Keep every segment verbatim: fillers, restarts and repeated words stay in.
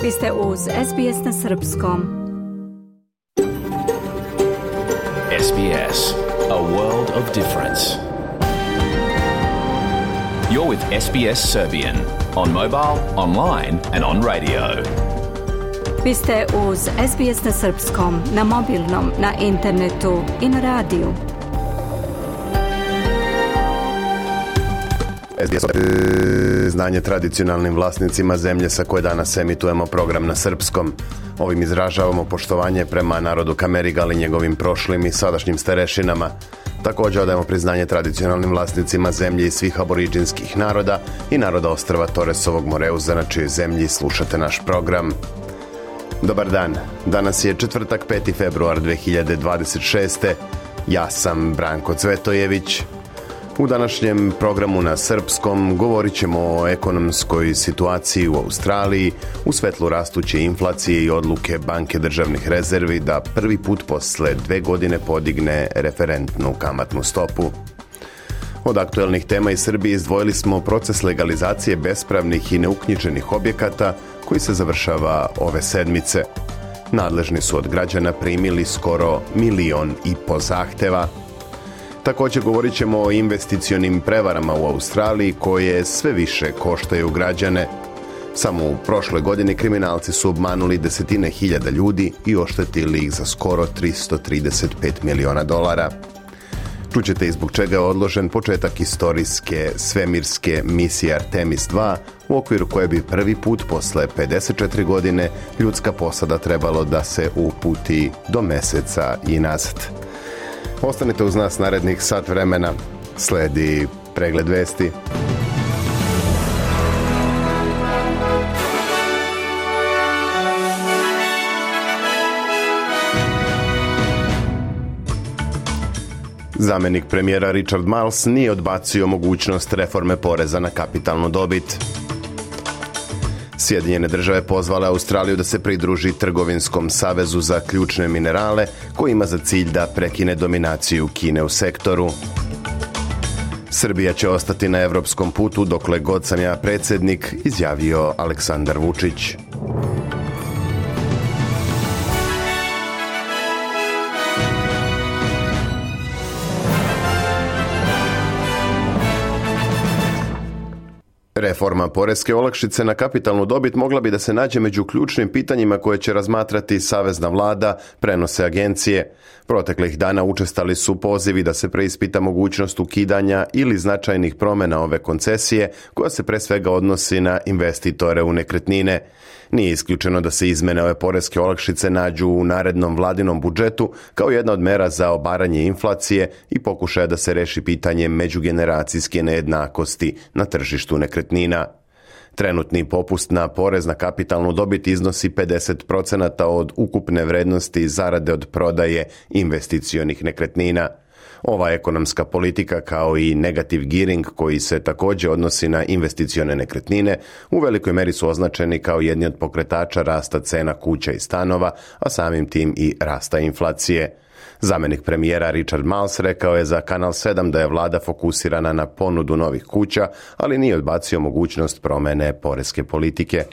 Vi ste uz S B S na srpskom. S B S, a world of difference. You're with S B S Serbian on mobile, online and on radio. Vi ste uz S B S na srpskom, na mobilnom, na internetu i na radiju. S B S znanje tradicionalnim vlasnicima zemlje sa koje danas emitujemo program na srpskom. Ovim izražavamo poštovanje prema narodu Kamerigal i njegovim prošlim i sadašnjim starešinama. Također odajemo priznanje tradicionalnim vlasnicima zemlje i svih aboriđinskih naroda i naroda ostrva Toresovog Moreuza, na čijoj zemlji slušate naš program. Dobar dan, danas je četvrtak peti februar dve hiljade dvadeset šeste. Ja sam Branko Cvetojević. U današnjem programu na srpskom govorit ćemo o ekonomskoj situaciji u Australiji u svetlu rastuće inflacije i odluke Banke državnih rezervi da prvi put posle dve godine podigne referentnu kamatnu stopu. Od aktuelnih tema iz Srbije izdvojili smo proces legalizacije bespravnih i neuknjiženih objekata koji se završava ove sedmice. Nadležni su od građana primili skoro milion i po zahteva. Također govorit ćemo o investicionim prevarama u Australiji koje sve više koštaju građane. Samo u prošloj godini kriminalci su obmanuli desetine hiljada ljudi i oštetili ih za skoro tristo trideset pet miliona dolara. Čućete i zbog čega je odložen početak istorijske svemirske misije Artemis dva, u okviru koje bi prvi put posle pedeset četiri godine ljudska posada trebalo da se uputi do meseca i nazad. Ostanite uz nas narednih sat vremena. Sledi pregled vesti. Zamenik premijera Richard Marles nije odbacio mogućnost reforme poreza na kapitalnu dobit. Sjedinjene države pozvale Australiju da se pridruži Trgovinskom savezu za ključne minerale, koji ima za cilj da prekine dominaciju Kine u sektoru. Srbija će ostati na evropskom putu dokle god sam ja predsjednik, izjavio Aleksandar Vučić. Reforma poreske olakšice na kapitalnu dobit mogla bi da se nađe među ključnim pitanjima koje će razmatrati savezna vlada, prenose agencije. Proteklih dana učestali su pozivi da se preispita mogućnost ukidanja ili značajnih promjena ove koncesije, koja se pre svega odnosi na investitore u nekretnine. Nije isključeno da se izmene ove poreske olakšice nađu u narednom vladinom budžetu kao jedna od mera za obaranje inflacije i pokušaja da se reši pitanje međugeneracijske nejednakosti na tržištu nekretnina. Trenutni popust na porez na kapitalnu dobit iznosi pedeset procenata od ukupne vrednosti zarade od prodaje investicionih nekretnina. Ova ekonomska politika, kao i negative gearing koji se također odnosi na investicione nekretnine, u velikoj meri su označeni kao jedni od pokretača rasta cena kuća i stanova, a samim tim i rasta inflacije. Zamenik premijera Richard Marles rekao je za Kanal sedam da je vlada fokusirana na ponudu novih kuća, ali nije odbacio mogućnost promjene poreske politike.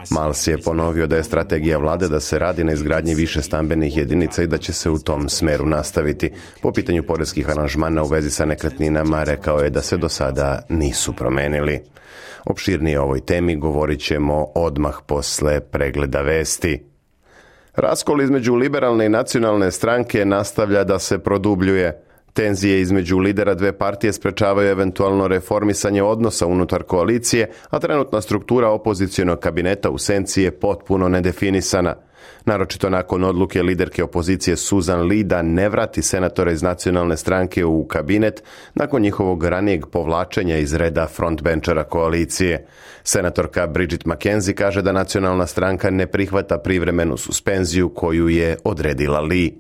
Marles je ponovio da je strategija vlade da se radi na izgradnji više stambenih jedinica i da će se u tom smeru nastaviti. Po pitanju poreskih aranžmana u vezi sa nekretninama rekao je da se do sada nisu promenili. Opširnije o ovoj temi govorit ćemo odmah posle pregleda vesti. Raskol između liberalne i nacionalne stranke nastavlja da se produbljuje. Tenzije između lidera dve partije sprečavaju eventualno reformisanje odnosa unutar koalicije, a trenutna struktura opozicionog kabineta u senci je potpuno nedefinisana. Naročito nakon odluke liderke opozicije Susan Lee da ne vrati senatore iz nacionalne stranke u kabinet nakon njihovog ranijeg povlačenja iz reda frontbenčera koalicije. Senatorka Bridget McKenzie kaže da nacionalna stranka ne prihvata privremenu suspenziju koju je odredila Lee.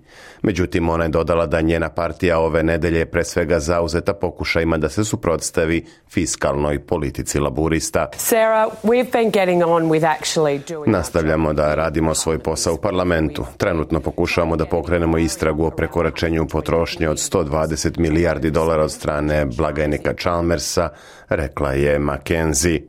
Međutim, ona je dodala da njena partija ove nedelje pre svega zauzeta pokušajima da se suprotstavi fiskalnoj politici laburista. Sarah, we've been getting on with actually doing... Nastavljamo da radimo svoj posao u parlamentu. Trenutno pokušavamo da pokrenemo istragu o prekoračenju potrošnje od sto dvadeset milijardi dolara od strane blagajnika Chalmersa, rekla je McKenzie.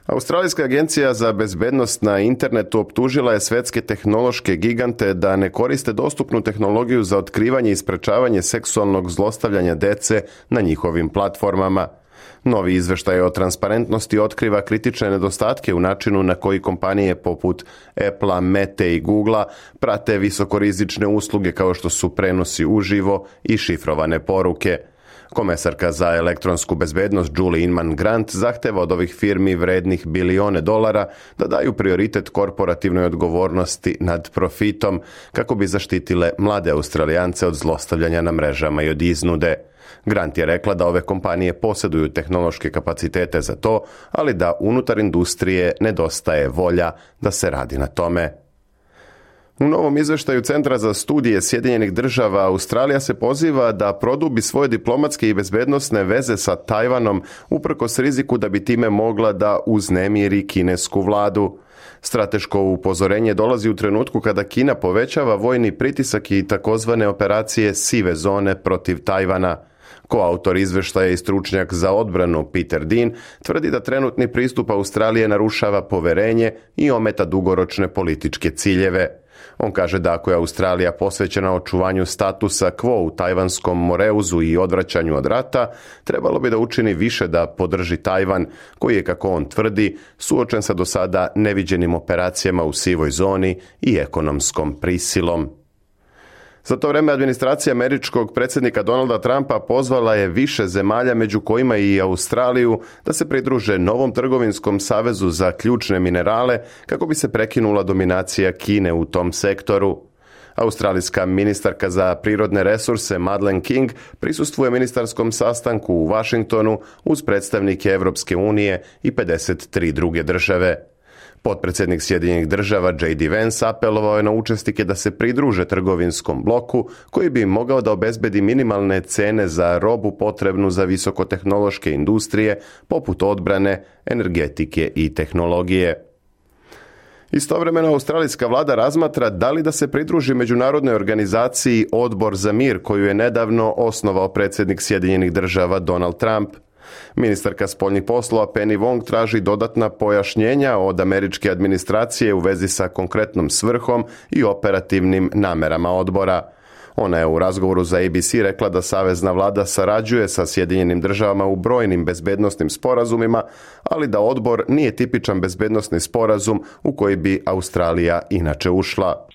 Australijska agencija za bezbednost na internetu optužila je svetske tehnološke gigante da ne koriste dostupnu tehnologiju za otkrivanje i sprečavanje seksualnog zlostavljanja dece na njihovim platformama. Novi izveštaj o transparentnosti otkriva kritične nedostatke u načinu na koji kompanije poput Apple, Mete i Googlea prate visokorizične usluge kao što su prenosi uživo i šifrovane poruke. Komesarka za elektronsku bezbednost Julie Inman Grant zahteva od ovih firmi vrednih bilione dolara da daju prioritet korporativnoj odgovornosti nad profitom kako bi zaštitile mlade Australijance od zlostavljanja na mrežama i od iznude. Grant je rekla da ove kompanije posjeduju tehnološke kapacitete za to, ali da unutar industrije nedostaje volja da se radi na tome. U novom izveštaju Centra za studije Sjedinjenih država Australija se poziva da produbi svoje diplomatske i bezbednosne veze sa Tajvanom uprkos riziku da bi time mogla da uznemiri kinesku vladu. Strateško upozorenje dolazi u trenutku kada Kina povećava vojni pritisak i takozvane operacije sive zone protiv Tajvana. Koautor izveštaja i stručnjak za odbranu Peter Dean tvrdi da trenutni pristup Australije narušava poverenje i ometa dugoročne političke ciljeve. On kaže da ako je Australija posvećena očuvanju statusa quo u Tajvanskom Moreuzu i odvraćanju od rata, trebalo bi da učini više da podrži Tajvan, koji je, kako on tvrdi, suočen sa do sada neviđenim operacijama u sivoj zoni i ekonomskom prisilom. Za to vreme administracija američkog predsjednika Donalda Trumpa pozvala je više zemalja, među kojima i Australiju, da se pridruže novom trgovinskom savezu za ključne minerale kako bi se prekinula dominacija Kine u tom sektoru. Australijska ministarka za prirodne resurse Madeleine King prisustvuje ministarskom sastanku u Washingtonu uz predstavnike Evropske unije i pedeset tri druge države. Potpredsjednik Sjedinjenih država J D Vance apelovao je na učesnike da se pridruže trgovinskom bloku koji bi mogao da obezbedi minimalne cene za robu potrebnu za visokotehnološke industrije poput odbrane, energetike i tehnologije. Istovremeno australijska vlada razmatra da li da se pridruži međunarodnoj organizaciji Odbor za mir koju je nedavno osnovao predsjednik Sjedinjenih država Donald Trump. Ministarka spoljnih poslova Penny Wong traži dodatna pojašnjenja od američke administracije u vezi sa konkretnom svrhom i operativnim namerama odbora. Ona je u razgovoru za A B C rekla da savezna vlada sarađuje sa Sjedinjenim državama u brojnim bezbednosnim sporazumima, ali da odbor nije tipičan bezbednosni sporazum u koji bi Australija inače ušla.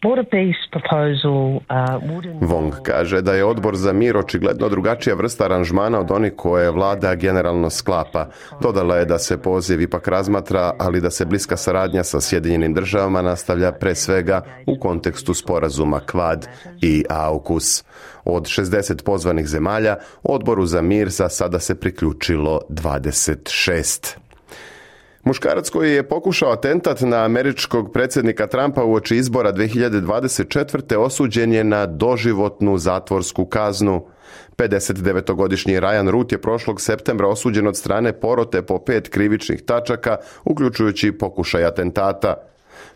Wong kaže da je odbor za mir očigledno drugačija vrsta aranžmana od onih koje vlada generalno sklapa. Dodala je da se poziv ipak razmatra, ali da se bliska saradnja sa Sjedinjenim državama nastavlja pre svega u kontekstu sporazuma Quad i AUKUS. Od šezdeset pozvanih zemalja, odboru za mir za sada se priključilo dvadeset šest. Muškarac koji je pokušao atentat na američkog predsjednika Trumpa uoči izbora dve hiljade dvadeset četvrte osuđen je na doživotnu zatvorsku kaznu. pedesetdevetogodišnji Ryan Root je prošlog septembra osuđen od strane porote po pet krivičnih tačaka, uključujući pokušaj atentata.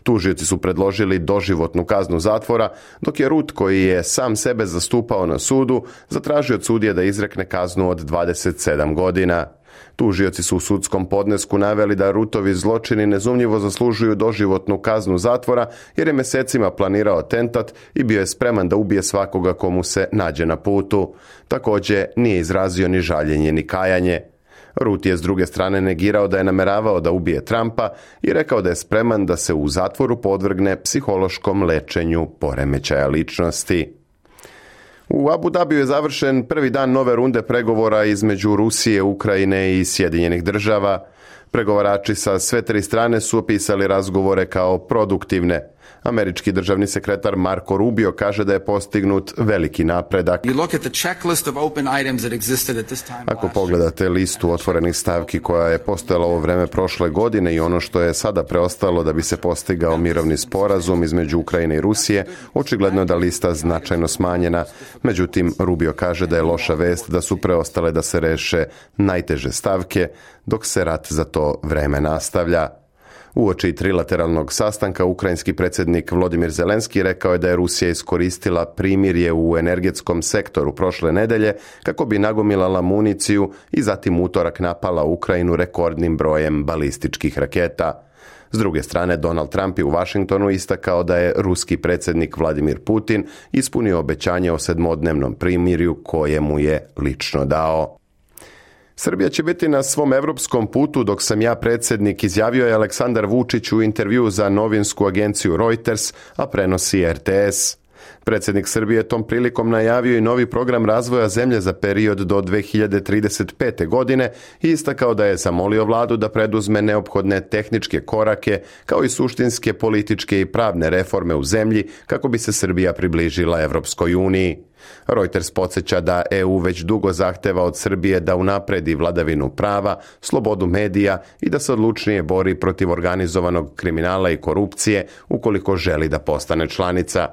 Tužioci su predložili doživotnu kaznu zatvora, dok je Root, koji je sam sebe zastupao na sudu, zatražio od sudije da izrekne kaznu od dvadeset sedam godina. Tužioci su u sudskom podnesku naveli da Rootovi zločini nezumnjivo zaslužuju doživotnu kaznu zatvora jer je mesecima planirao atentat i bio je spreman da ubije svakoga komu se nađe na putu. Također nije izrazio ni žaljenje ni kajanje. Root je s druge strane negirao da je nameravao da ubije Trumpa i rekao da je spreman da se u zatvoru podvrgne psihološkom lečenju poremećaja ličnosti. U Abu Dhabiju je završen prvi dan nove runde pregovora između Rusije, Ukrajine i Sjedinjenih država. Pregovarači sa sve tri strane su opisali razgovore kao produktivne. Američki državni sekretar Marco Rubio kaže da je postignut veliki napredak. Ako pogledate listu otvorenih stavki koja je postojala ovo vreme prošle godine i ono što je sada preostalo da bi se postigao mirovni sporazum između Ukrajine i Rusije, očigledno je da lista značajno smanjena. Međutim, Rubio kaže da je loša vest da su preostale da se reše najteže stavke, dok se rat za to vreme nastavlja. Uoči trilateralnog sastanka ukrajinski predsjednik Volodymyr Zelenski rekao je da je Rusija iskoristila primirje u energetskom sektoru prošle nedelje kako bi nagomilala municiju i zatim utorak napala Ukrajinu rekordnim brojem balističkih raketa. S druge strane, Donald Trump je u Washingtonu istakao da je ruski predsjednik Vladimir Putin ispunio obećanje o sedmodnevnom primirju koje mu je lično dao. Srbija će biti na svom europskom putu dok sam ja predsjednik, izjavio je Aleksandar Vučić u intervjuu za novinsku agenciju Reuters, a prenosi R T S. Predsjednik Srbije tom prilikom najavio i novi program razvoja zemlje za period do dve hiljade trideset pete. godine i istakao da je zamolio vladu da preduzme neophodne tehničke korake kao i suštinske političke i pravne reforme u zemlji kako bi se Srbija približila Evropskoj uniji. Reuters podsjeća da E U već dugo zahteva od Srbije da unapredi vladavinu prava, slobodu medija i da se odlučnije bori protiv organizovanog kriminala i korupcije ukoliko želi da postane članica.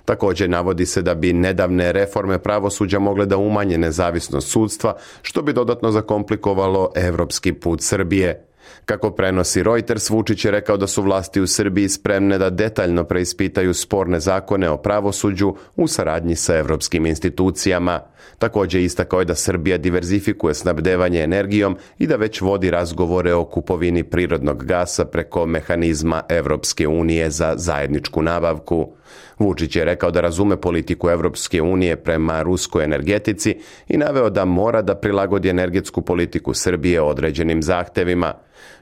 Također navodi se da bi nedavne reforme pravosuđa mogle da umanje nezavisnost sudstva, što bi dodatno zakomplikovalo evropski put Srbije. Kako prenosi Reuters, Vučić je rekao da su vlasti u Srbiji spremne da detaljno preispitaju sporne zakone o pravosuđu u saradnji sa evropskim institucijama. Također istakao je da Srbija diverzifikuje snabdevanje energijom i da već vodi razgovore o kupovini prirodnog gasa preko mehanizma Evropske unije za zajedničku nabavku. Vučić je rekao da razume politiku Evropske unije prema ruskoj energetici i naveo da mora da prilagodi energetsku politiku Srbije određenim zahtevima.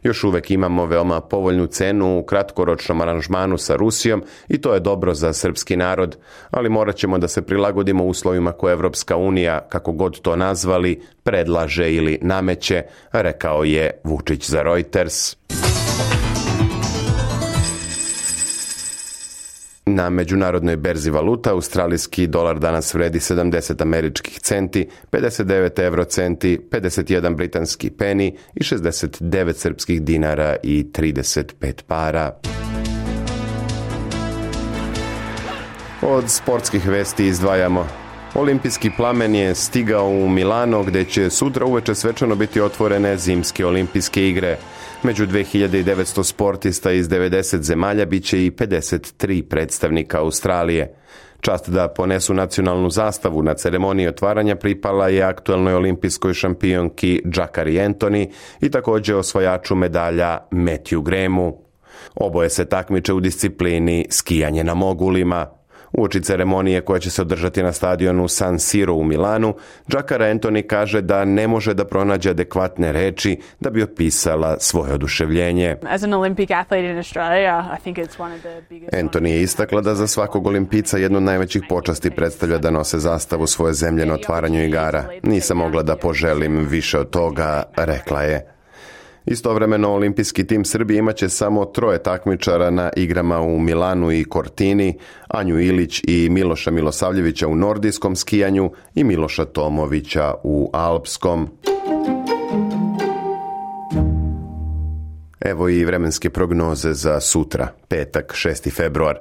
Još uvek imamo veoma povoljnu cenu u kratkoročnom aranžmanu sa Rusijom i to je dobro za srpski narod, ali morat ćemo da se prilagodimo uslovima koje Evropska unija, kako god to nazvali, predlaže ili nameće, rekao je Vučić za Reuters. Na međunarodnoj berzi valuta australijski dolar danas vredi sedamdeset američkih centi, pedeset devet euro centi, pedeset jedan britanski peni i šezdeset devet srpskih dinara i trideset pet para. Od sportskih vesti izdvajamo: Olimpijski plamen je stigao u Milano gdje će sutra uveče svečano biti otvorene zimske olimpijske igre. Među dve hiljade devetsto sportista iz devedeset zemalja bit će i pedeset tri predstavnika Australije. Čast da ponesu nacionalnu zastavu na ceremoniji otvaranja pripala je aktuelnoj olimpijskoj šampionki Jacari Antony i također osvajaču medalja Matthew Grahamu. Oboje se takmiče u disciplini skijanje na mogulima. Uoči ceremonije koja će se održati na stadionu San Siro u Milanu, Jacari Antony kaže da ne može da pronađe adekvatne reči da bi opisala svoje oduševljenje. As an Olympic athlete in Australia, I think it's one of the biggest... Antony je istakla da za svakog olimpica jednu od najvećih počasti predstavlja da nose zastavu svoje zemlje na otvaranju igara. Nisam mogla da poželim više od toga, rekla je. Istovremeno, olimpijski tim Srbije imaće samo troje takmičara na igrama u Milanu i Cortini, Anju Ilić i Miloša Milosavljevića u nordijskom skijanju i Miloša Tomovića u alpskom. Evo i vremenske prognoze za sutra, petak, šesti februar.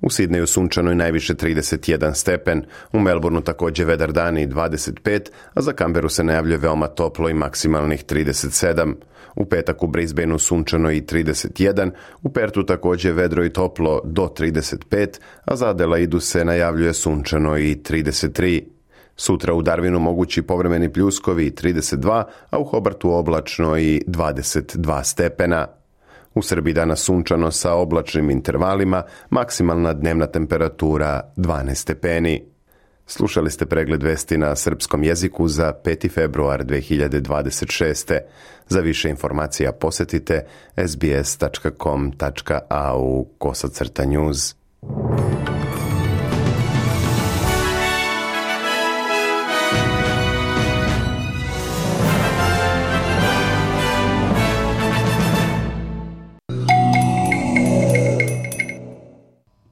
U Sidneju sunčano i najviše trideset jedan stepen, u Melbourneu također vedar dan i dvadeset pet, a za Canberu se najavljuje veoma toplo i maksimalnih trideset sedam. U petak u Brisbaneu sunčano i trideset jedan, u Pertu također vedro i toplo do trideset pet, a za Adelaidu se najavljuje sunčano i trideset tri. Sutra u Darwinu mogući povremeni pljuskovi i trideset dva, a u Hobartu oblačno i dvadeset dva stepena. U Srbiji danas sunčano sa oblačnim intervalima, maksimalna dnevna temperatura dvanaest stepeni. Slušali ste pregled vesti na srpskom jeziku za peti februar dve hiljade dvadeset šeste. Za više informacija posjetite sbs tačka com tačka a u kosacrta news.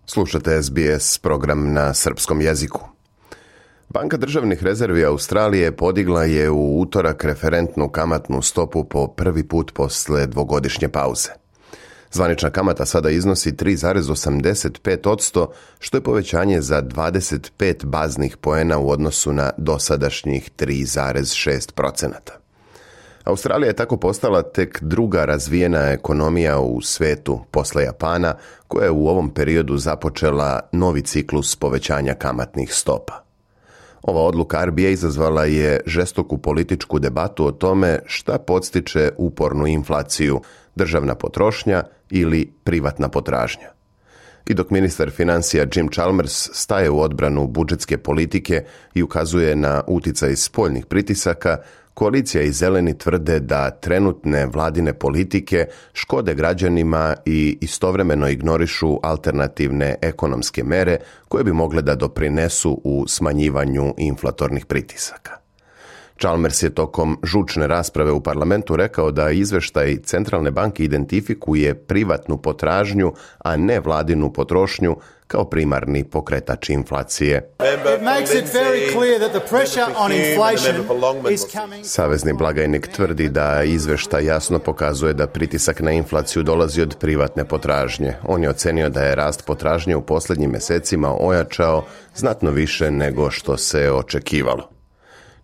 Slušate S B S program na srpskom jeziku. Banka državnih rezervi Australije podigla je u utorak referentnu kamatnu stopu po prvi put posle dvogodišnje pauze. Zvanična kamata sada iznosi tri zarez osamdeset pet posto, što je povećanje za dvadeset pet baznih poena u odnosu na dosadašnjih tri zarez šest posto. Australija je tako postala tek druga razvijena ekonomija u svetu posle Japana, koja je u ovom periodu započela novi ciklus povećanja kamatnih stopa. Ova odluka R B A izazvala je žestoku političku debatu o tome šta podstiče upornu inflaciju, državna potrošnja ili privatna potražnja. I dok ministar financija Jim Chalmers staje u odbranu budžetske politike i ukazuje na uticaj spoljnih pritisaka, koalicija i zeleni tvrde da trenutne vladine politike škode građanima i istovremeno ignorišu alternativne ekonomske mere koje bi mogle da doprinesu u smanjivanju inflatornih pritisaka. Chalmers je tokom žučne rasprave u parlamentu rekao da izveštaj Centralne banke identifikuje privatnu potražnju, a ne vladinu potrošnju kao primarni pokretač inflacije. Savezni blagajnik tvrdi da izveštaj jasno pokazuje da pritisak na inflaciju dolazi od privatne potražnje. On je ocenio da je rast potražnje u posljednjim mjesecima ojačao znatno više nego što se očekivalo.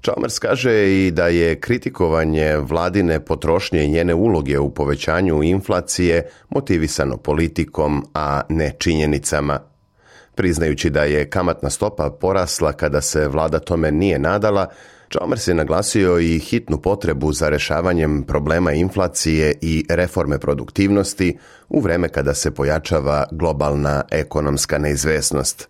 Chalmers kaže i da je kritikovanje vladine potrošnje i njene uloge u povećanju inflacije motivisano politikom, a ne činjenicama. Priznajući da je kamatna stopa porasla kada se vlada tome nije nadala, Chalmers je naglasio i hitnu potrebu za rješavanjem problema inflacije i reforme produktivnosti u vreme kada se pojačava globalna ekonomska neizvesnost.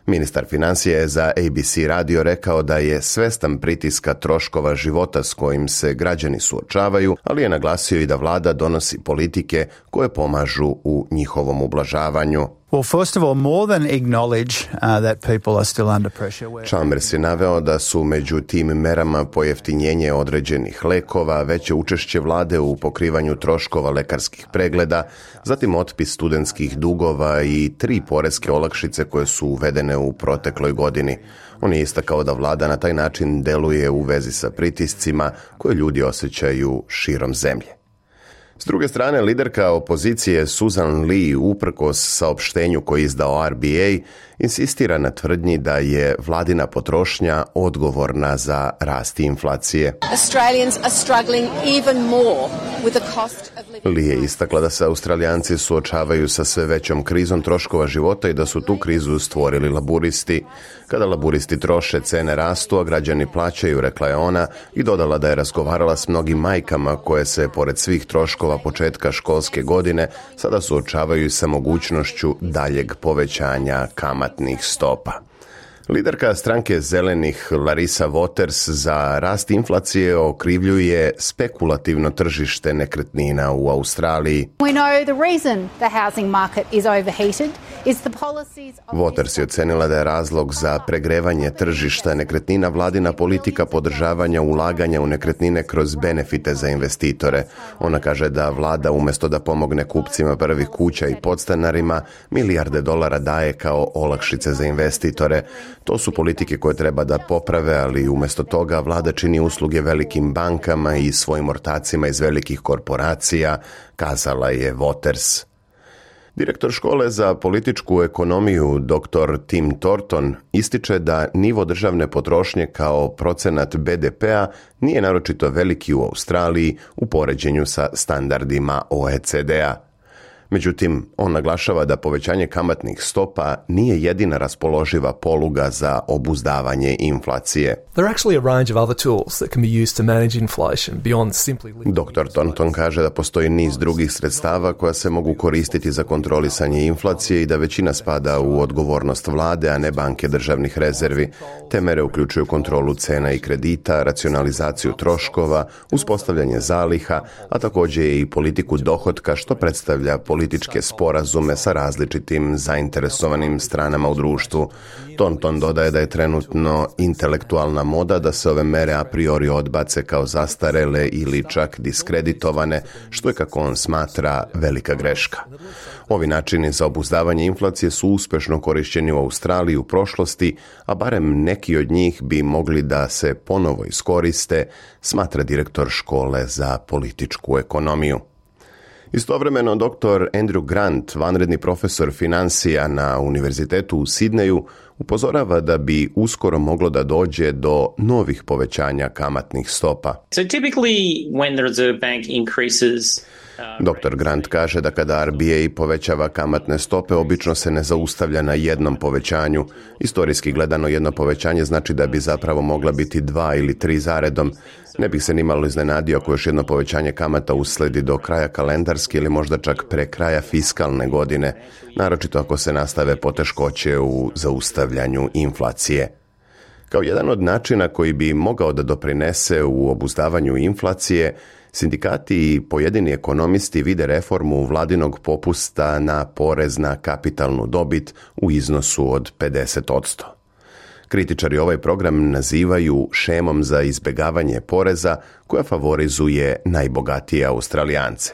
Ministar financija je za A B C radio rekao da je svestan pritiska troškova života s kojim se građani suočavaju, ali je naglasio i da vlada donosi politike koje pomažu u njihovom ublažavanju. Well, first of all, more than acknowledge uh, that people are still under pressure. Chalmers je naveo da su među tim merama pojeftinjenje određenih lekova, veće učešće vlade u pokrivanju troškova lekarskih pregleda, zatim otpis studentskih dugova i tri poreske olakšice koje su uvedene u protekloj godini. On je istakao da vlada na taj način deluje u vezi sa pritiscima koje ljudi osjećaju širom zemlje. S druge strane, liderka opozicije Susan Lee, uprkos saopštenju koji je izdao R B A, insistira na tvrdnji da je vladina potrošnja odgovorna za rast inflacije. Australians are struggling even more with the cost of living. Lee je istakla da se Australijanci suočavaju sa sve većom krizom troškova života i da su tu krizu stvorili laburisti. Kada laburisti troše, cene rastu, a građani plaćaju, rekla je ona, i dodala da je razgovarala s mnogim majkama koje se, pored svih troškova početka školske godine, sada suočavaju sa mogućnošću daljeg povećanja kamatnih stopa. Liderka stranke zelenih Larissa Waters za rast inflacije okrivljuje spekulativno tržište nekretnina u Australiji. We know the reason the housing market is overheated is the policies of... Waters je ocenila da je razlog za pregrevanje tržišta nekretnina vladina politika podržavanja ulaganja u nekretnine kroz benefite za investitore. Ona kaže da vlada umjesto da pomogne kupcima prvih kuća i podstanarima, milijarde dolara daje kao olakšice za investitore. To su politike koje treba da poprave, ali umjesto toga vlada čini usluge velikim bankama i svojim ortacima iz velikih korporacija, kazala je Waters. Direktor škole za političku ekonomiju doktor Tim Thornton ističe da nivo državne potrošnje kao procenat B D P-a nije naročito veliki u Australiji u poređenju sa standardima O E C D-a. Međutim, on naglašava da povećanje kamatnih stopa nije jedina raspoloživa poluga za obuzdavanje inflacije. There are actually a range of other tools that can be used to manage inflation beyond simply... doktor Thornton kaže da postoji niz drugih sredstava koja se mogu koristiti za kontrolisanje inflacije i da većina spada u odgovornost vlade, a ne banke državnih rezervi. Te mere uključuju kontrolu cena i kredita, racionalizaciju troškova, uspostavljanje zaliha, a također i politiku dohotka što predstavlja političke sporazume sa različitim zainteresovanim stranama u društvu. Thornton dodaje da je trenutno intelektualna moda da se ove mere a priori odbace kao zastarele ili čak diskreditovane, što je, kako on smatra, velika greška. Ovi načini za obuzdavanje inflacije su uspješno korišćeni u Australiji u prošlosti, a barem neki od njih bi mogli da se ponovo iskoriste, smatra direktor škole za političku ekonomiju. Istovremeno, doktor Andrew Grant, vanredni profesor financija na Univerzitetu u Sidneju, upozorava da bi uskoro moglo da dođe do novih povećanja kamatnih stopa. So typically when the Reserve Bank increases doktor Grant kaže da kada R B A povećava kamatne stope, obično se ne zaustavlja na jednom povećanju. Istorijski gledano, jedno povećanje znači da bi zapravo mogla biti dva ili tri zaredom. Ne bih se nimalo iznenadio ako još jedno povećanje kamata usledi do kraja kalendarske ili možda čak pre kraja fiskalne godine, naročito ako se nastave poteškoće u zaustavljanju inflacije. Kao jedan od načina koji bi mogao da doprinese u obuzdavanju inflacije, sindikati i pojedini ekonomisti vide reformu vladinog popusta na porez na kapitalnu dobit u iznosu od pedeset posto. Kritičari ovaj program nazivaju šemom za izbjegavanje poreza koja favorizuje najbogatije Australijance.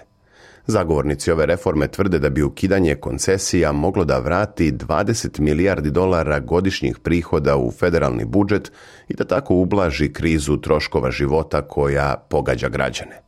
Zagovornici ove reforme tvrde da bi ukidanje koncesija moglo da vrati dvadeset milijardi dolara godišnjih prihoda u federalni budžet i da tako ublaži krizu troškova života koja pogađa građane.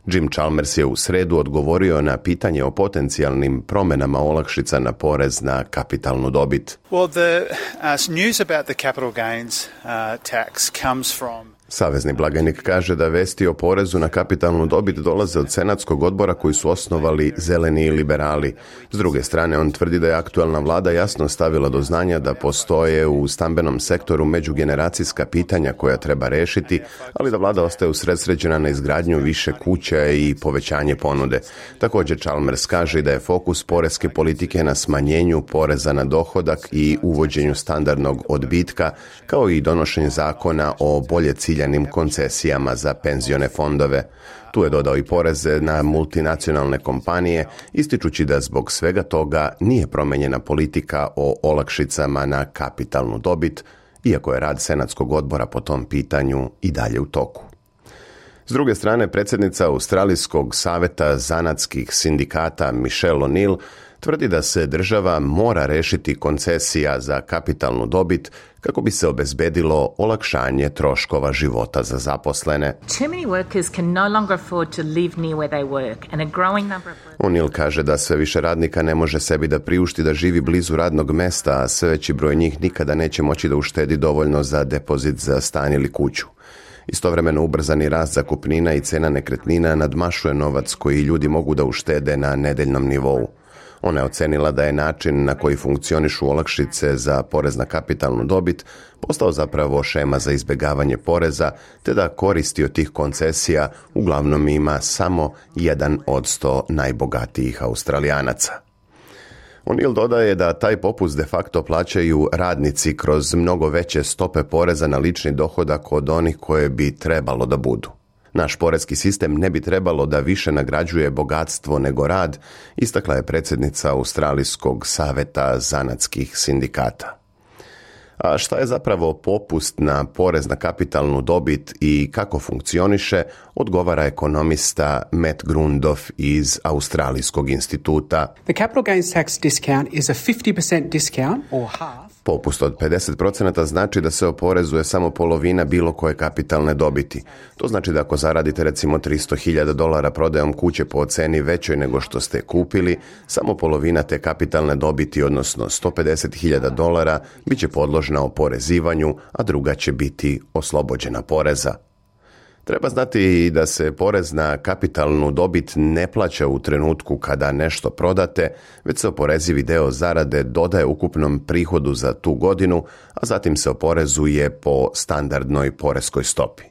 Jim Chalmers je u sredu odgovorio na pitanje o potencijalnim promjenama olakšica na porez na kapitalnu dobit. Well, the uh, news about the capital gains uh, tax comes from Savezni blagajnik kaže da vesti o porezu na kapitalnu dobit dolaze od senatskog odbora koji su osnovali zeleni i liberali. S druge strane, on tvrdi da je aktualna vlada jasno stavila do znanja da postoje u stambenom sektoru međugeneracijska pitanja koja treba rešiti, ali da vlada ostaje usredsređena na izgradnju više kuća i povećanje ponude. Također Chalmers kaže da je fokus poreske politike na smanjenju poreza na dohodak i uvođenju standardnog odbitka, kao i donošenje zakona o bolje ciljenim koncesijama za penzione fondove. Tu je dodao i poreze na multinacionalne kompanije, ističući da zbog svega toga nije promenjena politika o olakšicama na kapitalnu dobit, iako je rad senatskog odbora po tom pitanju i dalje u toku. S druge strane, predsjednica Australijskog saveta zanatskih sindikata Michelle O'Neill tvrdi da se država mora rešiti koncesija za kapitalnu dobit kako bi se obezbedilo olakšanje troškova života za zaposlene. O'Neill kaže da sve više radnika ne može sebi da priušti da živi blizu radnog mesta, a sve veći broj njih nikada neće moći da uštedi dovoljno za depozit za stan ili kuću. Istovremeno ubrzani rast zakupnina i cena nekretnina nadmašuje novac koji ljudi mogu da uštede na nedeljnom nivou. Ona je ocenila da je način na koji funkcionišu olakšice za porez na kapitalnu dobit postao zapravo šema za izbjegavanje poreza, te da koristi od tih koncesija uglavnom ima samo jedan od sto najbogatijih Australijanaca. O'Neill dodaje da taj popust de facto plaćaju radnici kroz mnogo veće stope poreza na lični dohodak od onih koje bi trebalo da budu. Naš porezki sistem ne bi trebalo da više nagrađuje bogatstvo nego rad, istakla je predsjednica Australijskog saveta zanatskih sindikata. A šta je zapravo popust na porez na kapitalnu dobit i kako funkcioniše, odgovara ekonomista Matt Grundoff iz Australijskog instituta. The capital gains tax discount is a fifty percent discount or half. Popust od pedeset posto znači da se oporezuje samo polovina bilo koje kapitalne dobiti. To znači da ako zaradite recimo tristo hiljada dolara prodajom kuće po ceni većoj nego što ste kupili, samo polovina te kapitalne dobiti, odnosno sto pedeset hiljada dolara, bit će podložna oporezivanju, a druga će biti oslobođena poreza. Treba znati i da se porez na kapitalnu dobit ne plaća u trenutku kada nešto prodate, već se oporezivi deo zarade dodaje ukupnom prihodu za tu godinu, a zatim se oporezuje po standardnoj poreskoj stopi.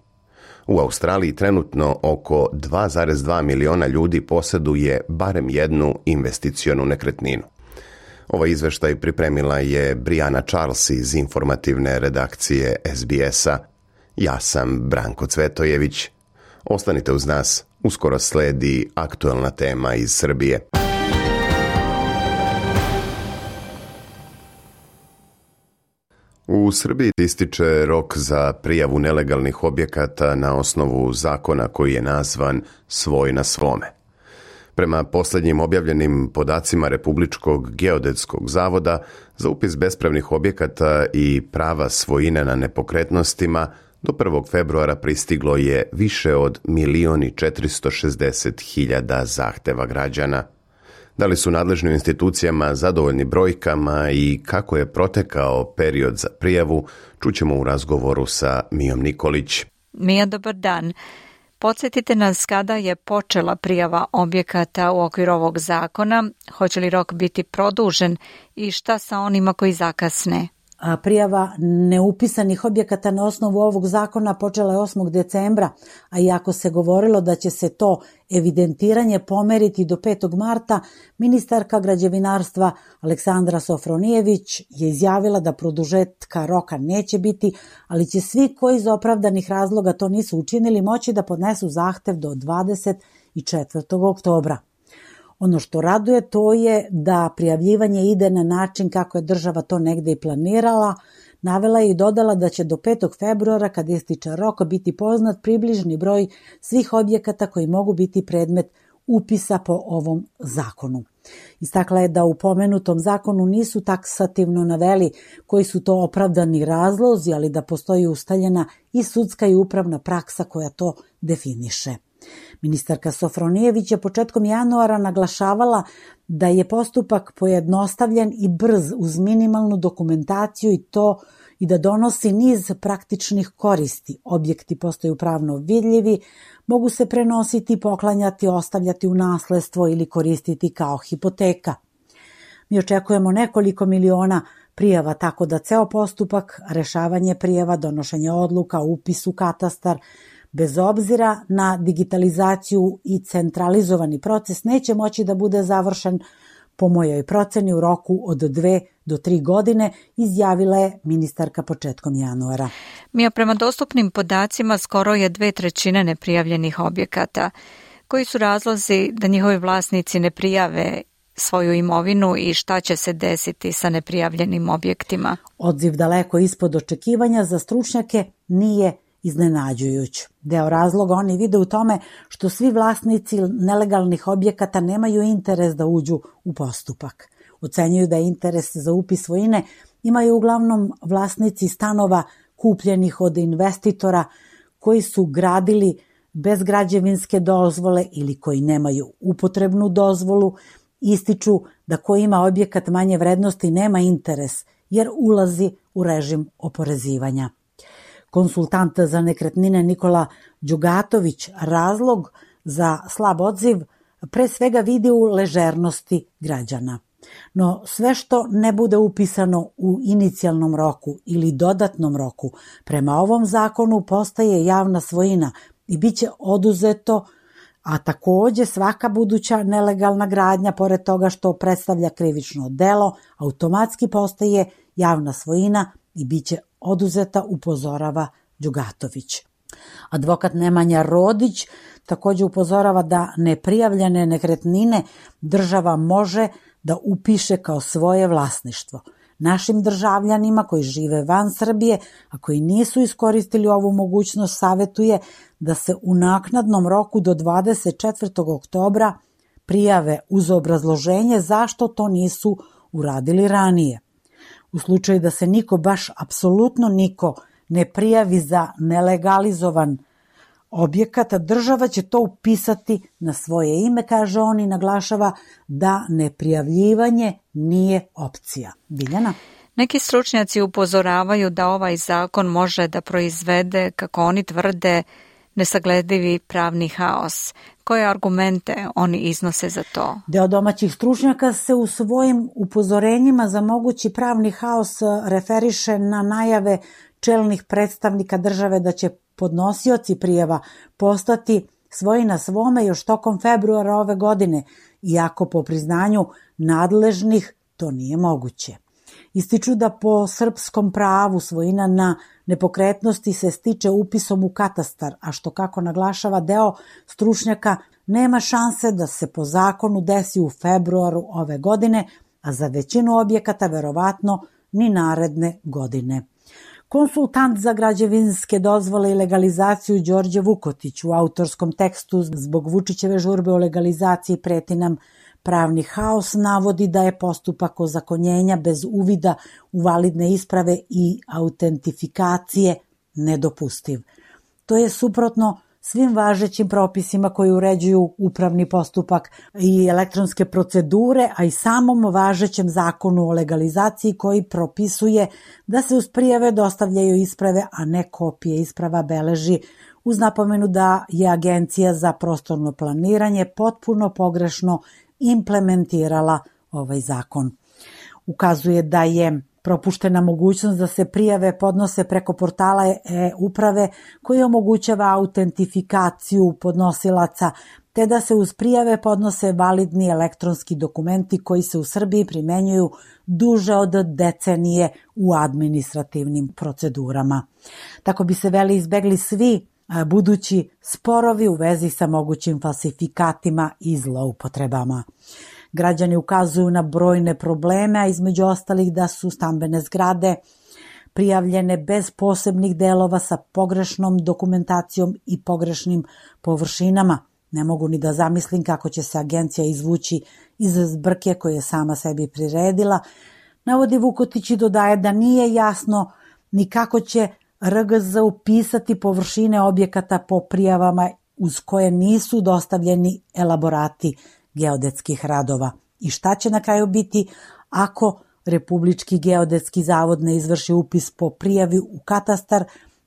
U Australiji trenutno oko dva zarez dva miliona ljudi posjeduje barem jednu investicionu nekretninu. Ovaj izveštaj pripremila je Briana Charles iz informativne redakcije S B S-a. Ja sam Branko Cvetojević. Ostanite uz nas, uskoro sledi aktualna tema iz Srbije. U Srbiji ističe rok za prijavu nelegalnih objekata na osnovu zakona koji je nazvan Svoj na svome. Prema posljednjim objavljenim podacima Republičkog geodetskog zavoda, za upis bespravnih objekata i prava svojine na nepokretnostima Do prvog februara pristiglo je više od milion i četiristo šezdeset hiljada zahteva građana. Da li su nadležnim institucijama zadovoljni brojkama i kako je protekao period za prijavu, čućemo u razgovoru sa Mijom Nikolić. Mija, dobar dan. Podsjetite nas kada je počela prijava objekata u okviru ovog zakona, hoće li rok biti produžen i šta sa onima koji zakasne? A prijava neupisanih objekata na osnovu ovog zakona počela je osmog decembra, a iako se govorilo da će se to evidentiranje pomeriti do petog marta, ministarka građevinarstva Aleksandra Sofronijević je izjavila da produžetka roka neće biti, ali će svi koji iz opravdanih razloga to nisu učinili moći da podnesu zahtev do dvadeset četvrtog oktobra. Ono što raduje to je da prijavljivanje ide na način kako je država to negde i planirala. Navela je i dodala da će do petog februara, kad ističe rok, biti poznat približni broj svih objekata koji mogu biti predmet upisa po ovom zakonu. Istakla je da u pomenutom zakonu nisu taksativno naveli koji su to opravdani razlozi, ali da postoji ustaljena i sudska i upravna praksa koja to definiše. Ministarka Sofronijević je početkom januara naglašavala da je postupak pojednostavljen i brz uz minimalnu dokumentaciju i to i da donosi niz praktičnih koristi. Objekti postaju pravno vidljivi, mogu se prenositi, poklanjati, ostavljati u nasledstvo ili koristiti kao hipoteka. Mi očekujemo nekoliko miliona prijava, tako da ceo postupak, rešavanje prijava, donošenje odluka, upis u katastar, bez obzira na digitalizaciju i centralizovani proces, neće moći da bude završen po mojoj proceni u roku od dve do tri godine, izjavila je ministarka početkom januara. Mija, prema dostupnim podacima skoro je dve trećine neprijavljenih objekata. Koji su razlozi da njihovi vlasnici ne prijave svoju imovinu i šta će se desiti sa neprijavljenim objektima? Odziv daleko ispod očekivanja za stručnjake nije iznenađujuć. Deo razloga oni vide u tome što svi vlasnici nelegalnih objekata nemaju interes da uđu u postupak. Ocenjuju da je interes za upis svojine imaju uglavnom vlasnici stanova kupljenih od investitora koji su gradili bez građevinske dozvole ili koji nemaju upotrebnu dozvolu. Ističu da ko ima objekat manje vrednosti nema interes jer ulazi u režim oporezivanja. Konsultant za nekretnine Nikola Đugatović razlog za slab odziv pre svega vidi u ležernosti građana. No sve što ne bude upisano u inicijalnom roku ili dodatnom roku prema ovom zakonu postaje javna svojina i bit će oduzeto, a takođe svaka buduća nelegalna gradnja, pored toga što predstavlja krivično delo, automatski postaje javna svojina i bit će oduzeta, upozorava Đugatović. Advokat Nemanja Rodić takođe upozorava da neprijavljene nekretnine država može da upiše kao svoje vlasništvo. Našim državljanima koji žive van Srbije, a koji nisu iskoristili ovu mogućnost, savetuje da se u naknadnom roku do dvadeset četvrtog oktobra prijave uz obrazloženje zašto to nisu uradili ranije. U slučaju da se niko, baš apsolutno niko, ne prijavi za nelegalizovan objekat, država će to upisati na svoje ime, kaže on, i naglašava da neprijavljivanje nije opcija. Biljana? Neki stručnjaci upozoravaju da ovaj zakon može da proizvede, kako oni tvrde, nesagledivi pravni haos. Koje argumente oni iznose za to? Deo domaćih stručnjaka se u svojim upozorenjima za mogući pravni haos referiše na najave čelnih predstavnika države da će podnosioci prijava postati svoji na svome još tokom februara ove godine, iako po priznanju nadležnih to nije moguće. Ističu da po srpskom pravu svojina na nepokretnosti se stiče upisom u katastar, a što, kako naglašava deo stručnjaka, nema šanse da se po zakonu desi u februaru ove godine, a za većinu objekata verovatno ni naredne godine. Konsultant za građevinske dozvole i legalizaciju Đorđe Vukotić u autorskom tekstu zbog Vučićeve žurbe o legalizaciji preti nam pravni haos navodi da je postupak ozakonjenja bez uvida u validne isprave i autentifikacije nedopustiv. To je suprotno svim važećim propisima koji uređuju upravni postupak i elektronske procedure, a i samom važećem zakonu o legalizaciji koji propisuje da se uz prijave dostavljaju isprave, a ne kopije isprava beleži, uz napomenu da je Agencija za prostorno planiranje potpuno pogrešno implementirala ovaj zakon. Ukazuje da je propuštena mogućnost da se prijave podnose preko portala e-uprave koji omogućava autentifikaciju podnosilaca, te da se uz prijave podnose validni elektronski dokumenti koji se u Srbiji primenjuju duže od decenije u administrativnim procedurama. Tako bi se veli izbegli svi budući sporovi u vezi sa mogućim falsifikatima i zloupotrebama. Građani ukazuju na brojne probleme, a između ostalih da su stambene zgrade prijavljene bez posebnih delova sa pogrešnom dokumentacijom i pogrešnim površinama. Ne mogu ni da zamislim kako će se agencija izvući iz zbrke koje je sama sebi priredila. Navodi Vukotić i dodaje da nije jasno ni kako će R G Z upisati površine objekata po prijavama uz koje nisu dostavljeni elaborati geodetskih radova. I šta će na kraju biti ako Republički geodetski zavod ne izvrši upis po prijavi u katastar,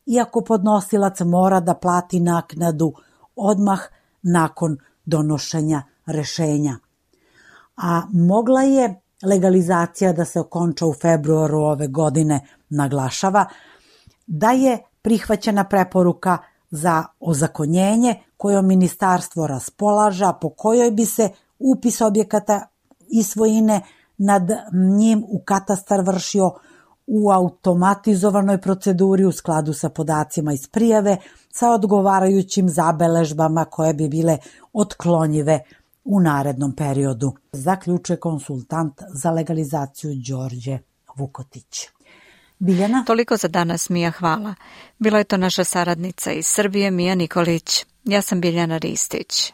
iako podnosilac mora da plati naknadu odmah nakon donošenja rešenja. A mogla je legalizacija da se okonča u februaru ove godine, naglašava, da je prihvaćena preporuka za ozakonjenje kojom ministarstvo raspolaža, po kojoj bi se upis objekata i svojine nad njim u katastar vršio u automatizovanoj proceduri u skladu sa podacima iz prijave sa odgovarajućim zabeležbama koje bi bile otklonjive u narednom periodu, zaključuje konsultant za legalizaciju Đorđe Vukotić. Biljana? Toliko za danas, Mija, hvala. Bila je to naša saradnica iz Srbije, Mija Nikolić. Ja sam Biljana Ristić.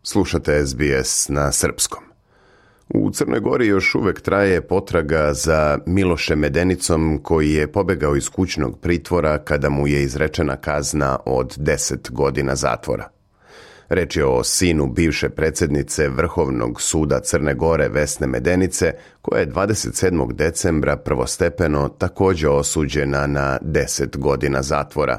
Slušate S B S na srpskom. U Crnoj Gori još uvek traje potraga za Milošem Medenicom koji je pobegao iz kućnog pritvora kada mu je izrečena kazna od deset godina zatvora. Reč je o sinu bivše predsjednice Vrhovnog suda Crne Gore Vesne Medenice, koja je dvadeset sedmog decembra prvostepeno također osuđena na deset godina zatvora.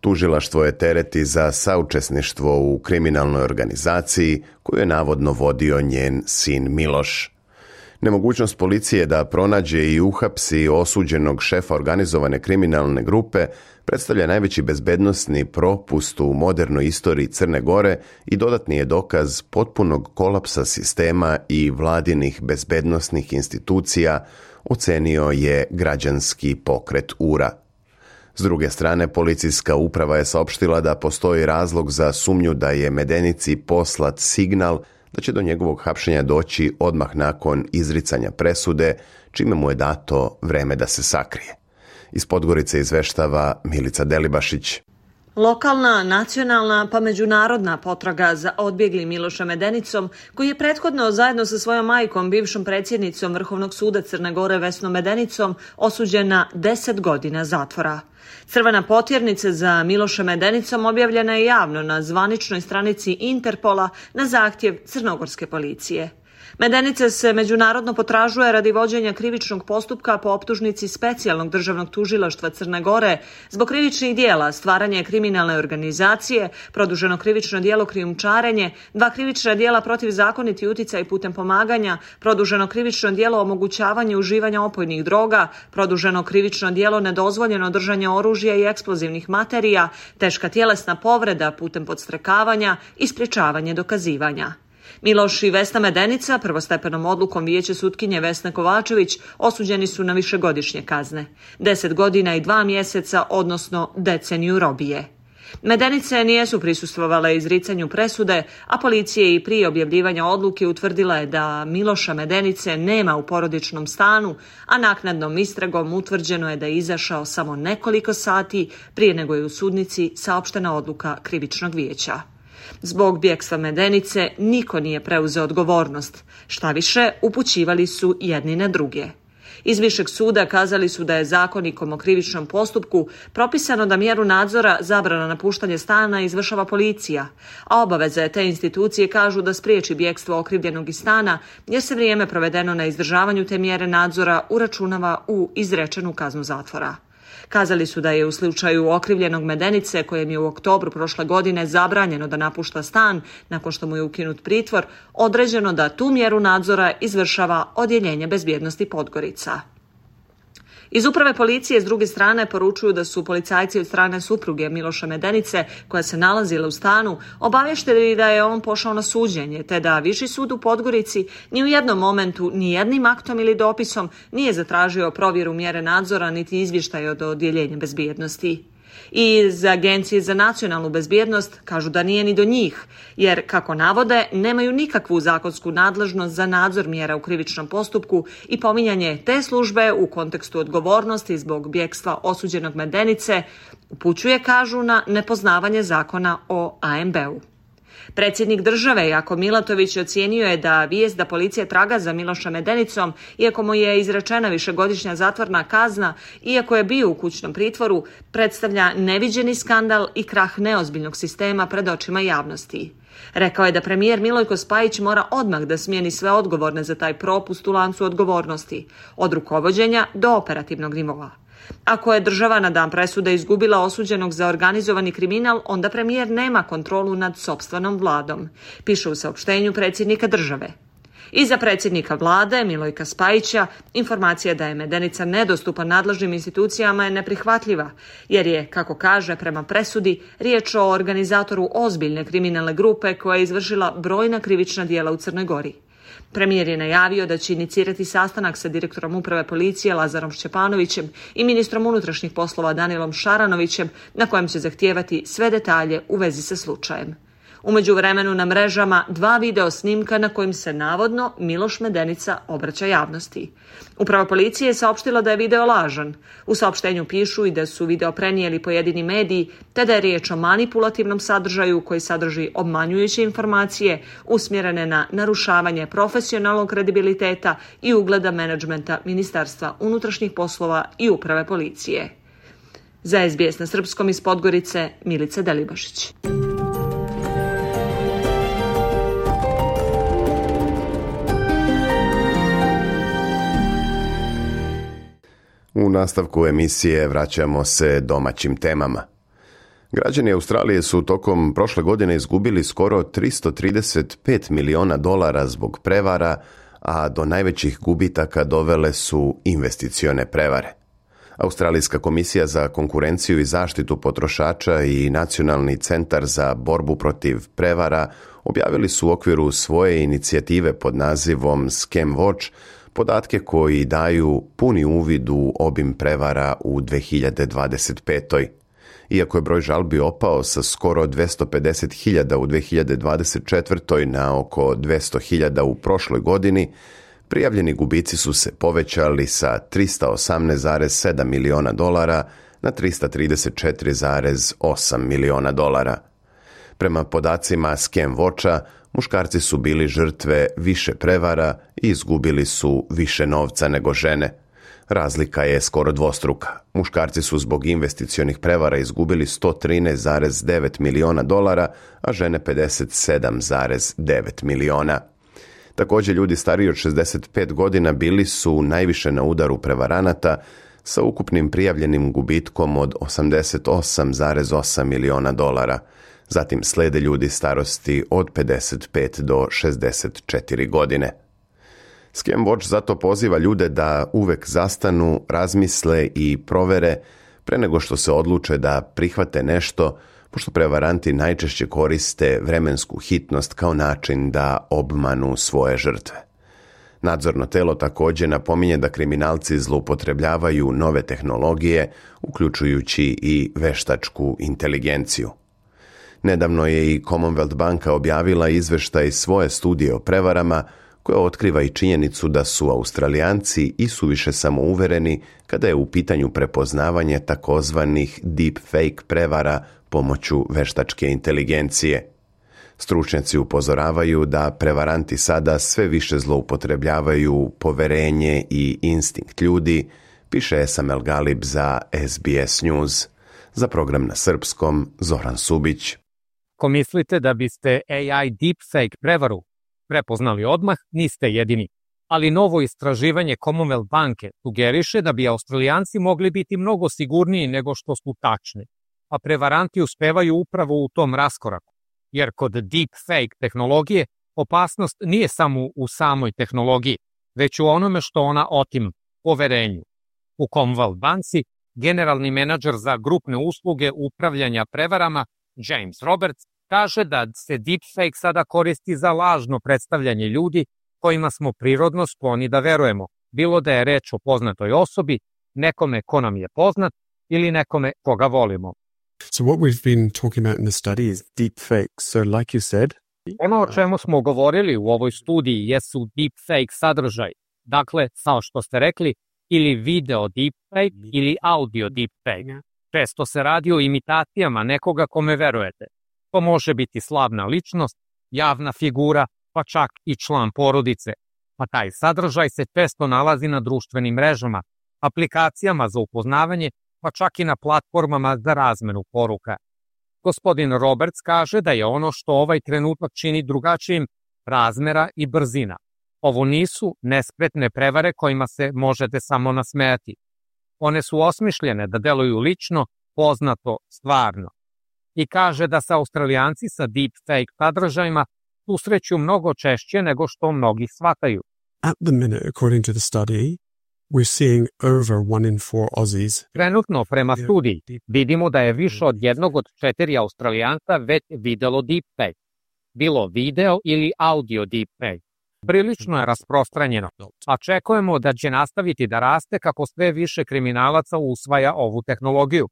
Tužilaštvo je tereti za saučesništvo u kriminalnoj organizaciji koju je navodno vodio njen sin Miloš. Nemogućnost policije da pronađe i uhapsi osuđenog šefa organizovane kriminalne grupe predstavlja najveći bezbednosni propust u modernoj istoriji Crne Gore i dodatni je dokaz potpunog kolapsa sistema i vladinih bezbednosnih institucija, ocenio je građanski pokret U R A. S druge strane, policijska uprava je saopštila da postoji razlog za sumnju da je Medenici poslat signal da će do njegovog hapšenja doći odmah nakon izricanja presude, čime mu je dato vreme da se sakrije. Iz Podgorice izveštava Milica Delibašić. Lokalna, nacionalna pa međunarodna potraga za odbjeglim Milošem Medenicom, koji je prethodno zajedno sa svojom majkom, bivšom predsjednicom Vrhovnog suda Crne Gore Vesnom Medenicom, osuđen na deset godina zatvora. Crvena potjernica za Milošem Medenicom objavljena je javno na zvaničnoj stranici Interpola na zahtjev crnogorske policije. Medenica se međunarodno potražuje radi vođenja krivičnog postupka po optužnici Specijalnog državnog tužilaštva Crne Gore zbog krivičnih dijela stvaranje kriminalne organizacije, produženo krivično djelo krijumčarenje, dva krivična djela protivzakoniti uticaj putem pomaganja, produženo krivično djelo omogućavanje uživanja opojnih droga, produženo krivično djelo nedozvoljeno držanje oružja i eksplozivnih materija, teška tjelesna povreda putem podstrekavanja i sprječavanje dokazivanja. Miloš i Vesna Medenica prvostepenom odlukom vijeće sutkinje Vesne Kovačević osuđeni su na višegodišnje kazne. Deset godina i dva mjeseca, odnosno deceniju robije. Medenice nijesu prisustvovale izricanju presude, a policija i prije objavljivanja odluke utvrdila je da Miloša Medenice nema u porodičnom stanu, a naknadnom istragom utvrđeno je da je izašao samo nekoliko sati prije nego je u sudnici saopštena odluka krivičnog vijeća. Zbog bjegstva Medenice niko nije preuzeo odgovornost. Šta više, upućivali su jedni na druge. Iz Višeg suda kazali su da je zakonikom o krivičnom postupku propisano da mjeru nadzora zabrana napuštanje stana izvršava policija, a obaveze te institucije kažu da spriječi bjegstvo okrivljenog iz stana jer se vrijeme provedeno na izdržavanju te mjere nadzora uračunava u izrečenu kaznu zatvora. Kazali su da je u slučaju okrivljenog Medenice, kojem je u oktobru prošle godine zabranjeno da napušta stan nakon što mu je ukinut pritvor, određeno da tu mjeru nadzora izvršava Odjeljenje bezbjednosti Podgorica. Iz uprave policije s druge strane poručuju da su policajci od strane supruge Miloša Medenice, koja se nalazila u stanu, obavješteni da je on pošao na suđenje, te da Viši sud u Podgorici ni u jednom momentu, ni jednim aktom ili dopisom nije zatražio provjeru mjere nadzora niti izvještaj od Odjeljenja bezbjednosti. I iz Agencije za nacionalnu bezbjednost kažu da nije ni do njih, jer, kako navode, nemaju nikakvu zakonsku nadležnost za nadzor mjera u krivičnom postupku i pominjanje te službe u kontekstu odgovornosti zbog bjegstva osuđenog Medenice upućuje, kažu, na nepoznavanje zakona o A M B-u. Predsjednik države Jako Milatović ocijenio je da vijest da policija traga za Miloša Medenicom, iako mu je izrečena višegodišnja zatvorna kazna, iako je bio u kućnom pritvoru, predstavlja neviđeni skandal i krah neozbiljnog sistema pred očima javnosti. Rekao je da premijer Milojko Spajić mora odmah da smijeni sve odgovorne za taj propust u lancu odgovornosti, od rukovođenja do operativnog nivoa. Ako je država na dan presude izgubila osuđenog za organizovani kriminal, onda premijer nema kontrolu nad sopstvenom vladom, piše u saopštenju predsjednika države. I za predsjednika vlade, Milojka Spajića, informacija da je Medenica nedostupan nadležnim institucijama je neprihvatljiva, jer je, kako kaže prema presudi, riječ o organizatoru ozbiljne kriminalne grupe koja je izvršila brojna krivična djela u Crnoj Gori. Premijer je najavio da će inicirati sastanak sa direktorom uprave policije Lazarom Šćepanovićem i ministrom unutrašnjih poslova Danilom Šaranovićem, na kojem će zahtijevati sve detalje u vezi sa slučajem. U međuvremenu na mrežama dva video snimka na kojim se navodno Miloš Medenica obraća javnosti. Uprava policije je saopštila da je video lažan. U saopštenju pišu i da su video prenijeli pojedini mediji, te da je riječ o manipulativnom sadržaju koji sadrži obmanjujuće informacije usmjerene na narušavanje profesionalnog kredibiliteta i ugleda menadžmenta Ministarstva unutrašnjih poslova i uprave policije. Za S B S na srpskom iz Podgorice, Milica Delibašić. U nastavku emisije vraćamo se domaćim temama. Građani Australije su tokom prošle godine izgubili skoro tristo trideset pet miliona dolara zbog prevara, a do najvećih gubitaka dovele su investicione prevare. Australijska komisija za konkurenciju i zaštitu potrošača i Nacionalni centar za borbu protiv prevara objavili su u okviru svoje inicijative pod nazivom Scam Watch podatke koji daju puni uvid u obim prevara u dve hiljade dvadeset petoj. Iako je broj žalbi opao sa skoro dvjesto pedeset hiljada u dve hiljade dvadeset četvrtoj na oko dvjesto hiljada u prošloj godini, prijavljeni gubici su se povećali sa tristo osamnaest zarez sedam miliona dolara na tristo trideset četiri zarez osam miliona dolara. Prema podacima Scam Watcha, muškarci su bili žrtve više prevara i izgubili su više novca nego žene. Razlika je skoro dvostruka. Muškarci su zbog investicionih prevara izgubili sto trinaest zarez devet miliona dolara, a žene pedeset sedam zarez devet miliona. Također ljudi stariji od šezdeset pet godina bili su najviše na udaru prevaranata sa ukupnim prijavljenim gubitkom od osamdeset osam zarez osam miliona dolara. Zatim slede ljudi starosti od pedeset pet do šezdeset četiri godine. Scam Watch zato poziva ljude da uvek zastanu, razmisle i provere pre nego što se odluče da prihvate nešto, pošto prevaranti najčešće koriste vremensku hitnost kao način da obmanu svoje žrtve. Nadzorno telo također napominje da kriminalci zloupotrebljavaju nove tehnologije, uključujući i veštačku inteligenciju. Nedavno je i Commonwealth banka objavila izveštaj svoje studije o prevarama, koja otkriva i činjenicu da su Australijanci i suviše samouvereni kada je u pitanju prepoznavanje takozvanih deepfake prevara pomoću veštačke inteligencije. Stručnjaci upozoravaju da prevaranti sada sve više zloupotrebljavaju poverenje i instinkt ljudi, piše Esam El Galib za S B S News. Za program na srpskom, Zoran Subić. Ako mislite da biste A I deepfake prevaru prepoznali odmah, niste jedini. Ali novo istraživanje Commonwealth banke sugeriše da bi Australijanci mogli biti mnogo sigurniji nego što su tačni, a prevaranti uspevaju upravo u tom raskoraku. Jer kod deepfake tehnologije opasnost nije samo u samoj tehnologiji, već u onome što ona otima, poverenju. U Commonwealth banci generalni menadžer za grupne usluge upravljanja prevarama, James Roberts, kaže da se deepfake sada koristi za lažno predstavljanje ljudi kojima smo prirodno skloni da verujemo, bilo da je reč o poznatoj osobi, nekome ko nam je poznat ili nekome koga volimo. So what we've been talking about in the study is deepfake. So like you said, ono o čemu smo govorili u ovoj studiji jesu deepfake sadržaj. Dakle, kao što ste rekli, ili video deepfake ili audio deepfake. Često se radi o imitacijama nekoga kome verujete. To može biti slavna ličnost, javna figura, pa čak i član porodice. A taj sadržaj se često nalazi na društvenim mrežama, aplikacijama za upoznavanje, pa čak i na platformama za razmenu poruka. Gospodin Roberts kaže da je ono što ovaj trenutak čini drugačijim razmera i brzina. Ovo nisu nespretne prevare kojima se možete samo nasmejati. One su osmišljene da deluju lično, poznato, stvarno. I kaže da se Australijanci sa deepfake sadržajima susreću mnogo češće nego što mnogi shvataju. At the minute, according to the study, we're seeing over one in four Aussies. Trenutno, prema studiji, vidimo da je više od jednog od četiri Australijanca već videlo deepfake. Bilo video ili audio deepfake. Prilično je rasprostranjeno, a očekujemo da će nastaviti da raste kako sve više kriminalaca usvaja ovu tehnologiju.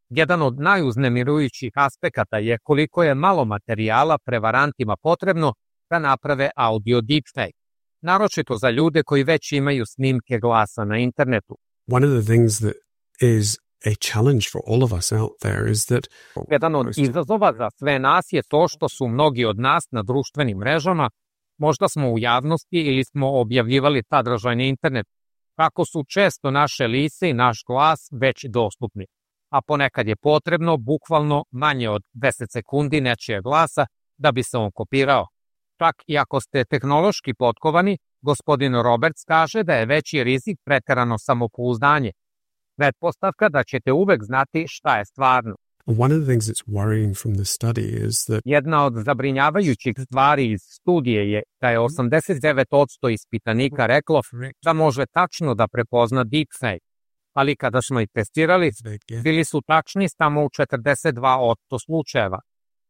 Jedan od najuznemirujućih aspekata je koliko je malo materijala prevarantima potrebno da naprave audio deepfake, naročito za ljude koji već imaju snimke glasa na internetu. One of the things that is a challenge for all of us out there is that Jedan od izazova za sve nas je to što su mnogi od nas na društvenim mrežama, možda smo u javnosti ili smo objavljivali sadržaj na internetu, kako su često naše lice i naš glas već dostupni, a ponekad je potrebno bukvalno manje od deset sekundi nečije glasa da bi se on kopirao. Čak i ako ste tehnološki potkovani, gospodin Roberts kaže da je veći rizik preterano samopouzdanje. Pretpostavka da ćete uvek znati šta je stvarno. One of the things that's worrying from the study is that Jedna od zabrinjavajućih stvari iz studije je da je osamdeset devet posto ispitanika reklo da može tačno da prepozna deepfake, ali kada smo ih testirali, bili su tačni samo u četrdeset dva posto slučajeva.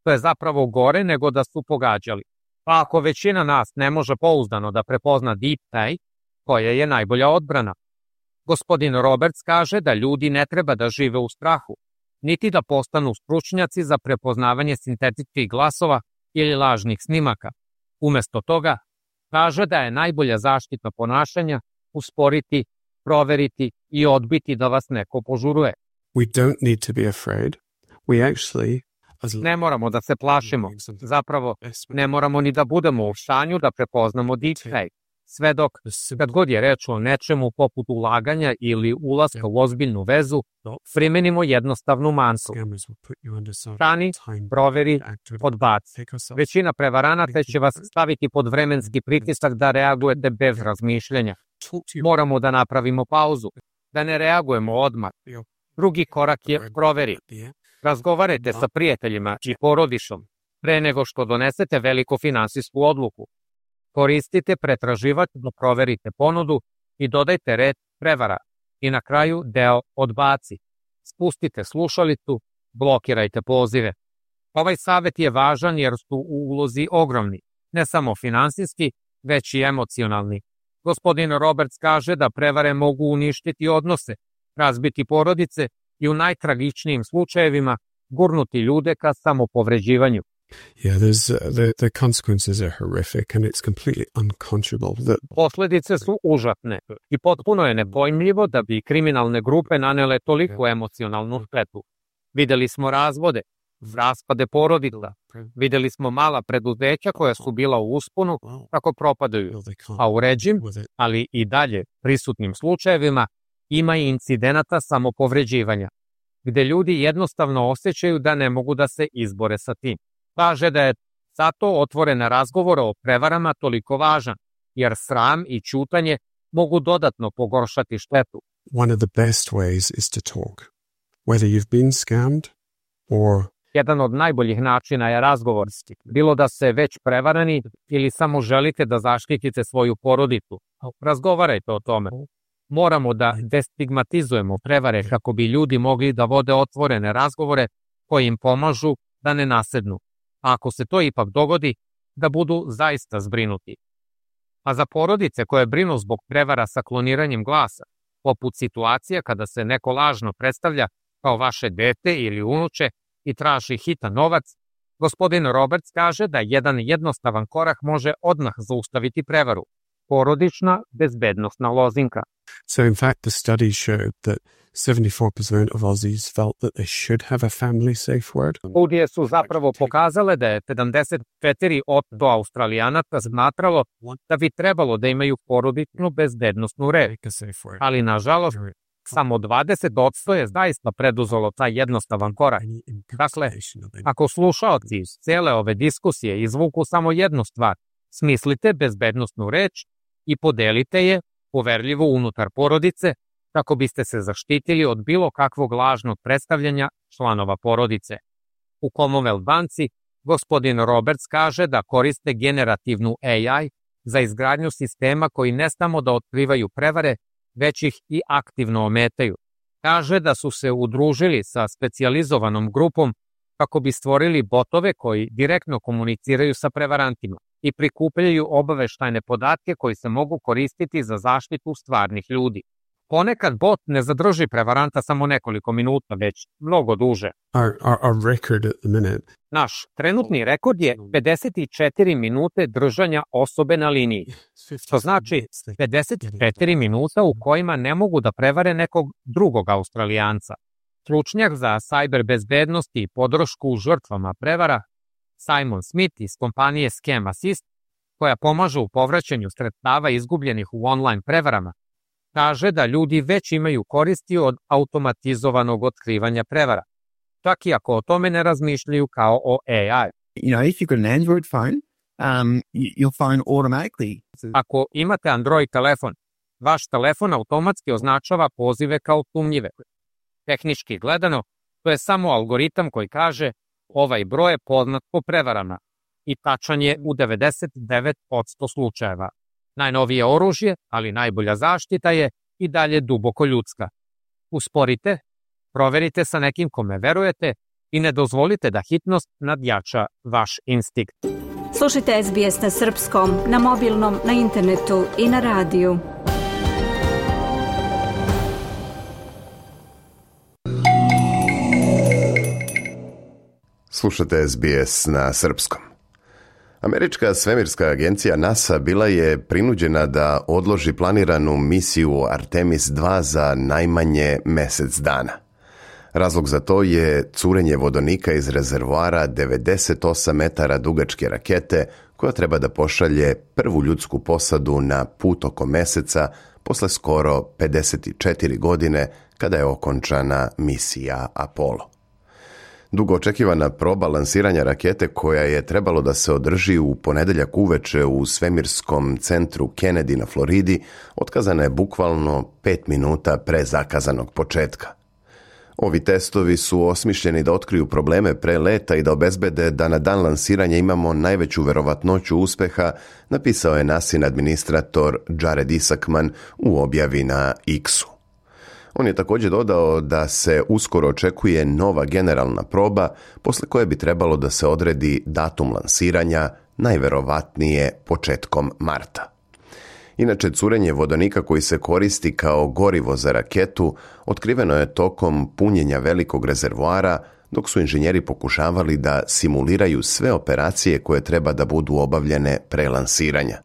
To je zapravo gore nego da su pogađali. Pa ako većina nas ne može pouzdano da prepozna deepfake, koja je najbolja odbrana? Gospodin Roberts kaže da ljudi ne treba da žive u strahu, niti da postanu stručnjaci za prepoznavanje sintetičkih glasova ili lažnih snimaka. Umesto toga, kaže da je najbolja zaštita ponašanja usporiti, proveriti i odbiti da vas neko požuruje. we don't need to be afraid. We actually Ne moramo da se plašimo. Zapravo, ne moramo ni da budemo u stanju da prepoznamo deepfake. Sve dok, kad god je reč o nečemu poput ulaganja ili ulaska u ozbiljnu vezu, primenimo jednostavnu mantu. Stani, proveri, odbaci. Većina prevaranata će vas staviti pod vremenski pritisak da reagujete bez razmišljanja. Moramo da napravimo pauzu, da ne reagujemo odmah. Drugi korak je proveri. Razgovarajte sa prijateljima i porodišom pre nego što donesete veliku finansijsku odluku. Koristite pretraživač da proverite ponudu i dodajte red prevara. I na kraju deo odbaci. Spustite slušalicu, blokirajte pozive. Ovaj savjet je važan jer su u ulozi ogromni, ne samo finansijski, već i emocionalni. Gospodin Roberts kaže da prevare mogu uništiti odnose, razbiti porodice i u najtragičnijim slučajevima gurnuti ljude ka samopovređivanju. Yeah, there's uh, the the consequences are horrific and it's completely unconscionable that Posledice su užasne i potpuno je nepojmljivo da bi kriminalne grupe nanele toliko emocionalnu štetu. Videli smo razvode, raspade porodica. Vidjeli smo mala preduzeća koja su bila u usponu kako propadaju, a u ređim, ali i dalje prisutnim slučajevima, ima i incidenata samopovređivanja, gde ljudi jednostavno osjećaju da ne mogu da se izbore sa tim. Kaže da je zato otvoren razgovor o prevarama toliko važan, jer sram i ćutanje mogu dodatno pogoršati štetu. One of the best ways is to talk. Whether you've been scammed or Jedan od najboljih načina je razgovor, bilo da se već prevarani ili samo želite da zaštitite svoju porodicu. Razgovarajte o tome. Moramo da destigmatizujemo prevare kako bi ljudi mogli da vode otvorene razgovore koji im pomažu da ne nasednu. A ako se to ipak dogodi, da budu zaista zbrinuti. A za porodice koje brinu zbog prevara sa kloniranjem glasa, poput situacija kada se neko lažno predstavlja kao vaše dete ili unuče i traži hitan novac, gospodin Roberts kaže da jedan jednostavan korak može odmah zaustaviti prevaru. Porodična bezbednostna lozinka. So in fact the study showed that seventy-four percent of Aussies felt that they should have a family safe word. Studije su zapravo pokazale da je sedamdeset četiri posto Australijanaca smatralo da bi trebalo da imaju porodičnu bezbednostnu reč, ali nažalost samo dvadeset posto je zaista preduzelo taj jednostavan korak. Dakle, ako slušaoci iz cele ove diskusije izvuku samo jednu stvar, smislite bezbednostnu reč i podelite je poverljivo unutar porodice kako biste se zaštitili od bilo kakvog lažnog predstavljanja članova porodice. U Commonwealth banci gospodin Roberts kaže da koriste generativnu A I za izgradnju sistema koji ne samo da otkrivaju prevare, već ih i aktivno ometaju. Kaže da su se udružili sa specijalizovanom grupom kako bi stvorili botove koji direktno komuniciraju sa prevarantima i prikupljaju obaveštajne podatke koji se mogu koristiti za zaštitu stvarnih ljudi. Ponekad bot ne zadrži prevaranta samo nekoliko minuta, već mnogo duže. Our, our, our record at the minute. Naš trenutni rekord je pedeset četiri minute držanja osobe na liniji, što znači pedeset četiri minuta u kojima ne mogu da prevare nekog drugog Australijanca. Stručnjak za sajber bezbednosti i podršku žrtvama prevara, Simon Smith iz kompanije Scam Assist, koja pomaže u povraćanju sredstava izgubljenih u online prevarama, kaže da ljudi već imaju koristi od automatizovanog otkrivanja prevara, čak i ako o tome ne razmišljaju kao o A I. You know, if you've got an Android phone, um, your phone automatically. Ako imate Android telefon, vaš telefon automatski označava pozive kao sumnjive. Tehnički gledano, to je samo algoritam koji kaže ovaj broj je poznat po prevarama i tačan je u devedeset devet posto slučajeva. Najnovije oružje, ali najbolja zaštita je i dalje duboko ljudska. Usporite, proverite sa nekim kome verujete i ne dozvolite da hitnost nadjača vaš instinkt. Slušajte S B S na srpskom, na mobilnom, na internetu i na radiju. Slušate S B S na srpskom. Američka svemirska agencija NASA bila je prinuđena da odloži planiranu misiju Artemis dva za najmanje mesec dana. Razlog za to je curenje vodonika iz rezervoara devedeset osam metara dugačke rakete koja treba da pošalje prvu ljudsku posadu na put oko meseca posle skoro pedeset četiri godine kada je okončana misija Apollo. Dugo očekivana proba lansiranja rakete koja je trebalo da se održi u ponedeljak uveče u svemirskom centru Kennedy na Floridi, otkazana je bukvalno pet minuta pre zakazanog početka. Ovi testovi su osmišljeni da otkriju probleme pre leta i da obezbede da na dan lansiranja imamo najveću verovatnoću uspeha, napisao je nasin administrator Jared Isaacman u objavi na X-u. On je također dodao da se uskoro očekuje nova generalna proba, posle koje bi trebalo da se odredi datum lansiranja, najverovatnije početkom marta. Inače, curenje vodonika koji se koristi kao gorivo za raketu otkriveno je tokom punjenja velikog rezervoara, dok su inženjeri pokušavali da simuliraju sve operacije koje treba da budu obavljene pre lansiranja.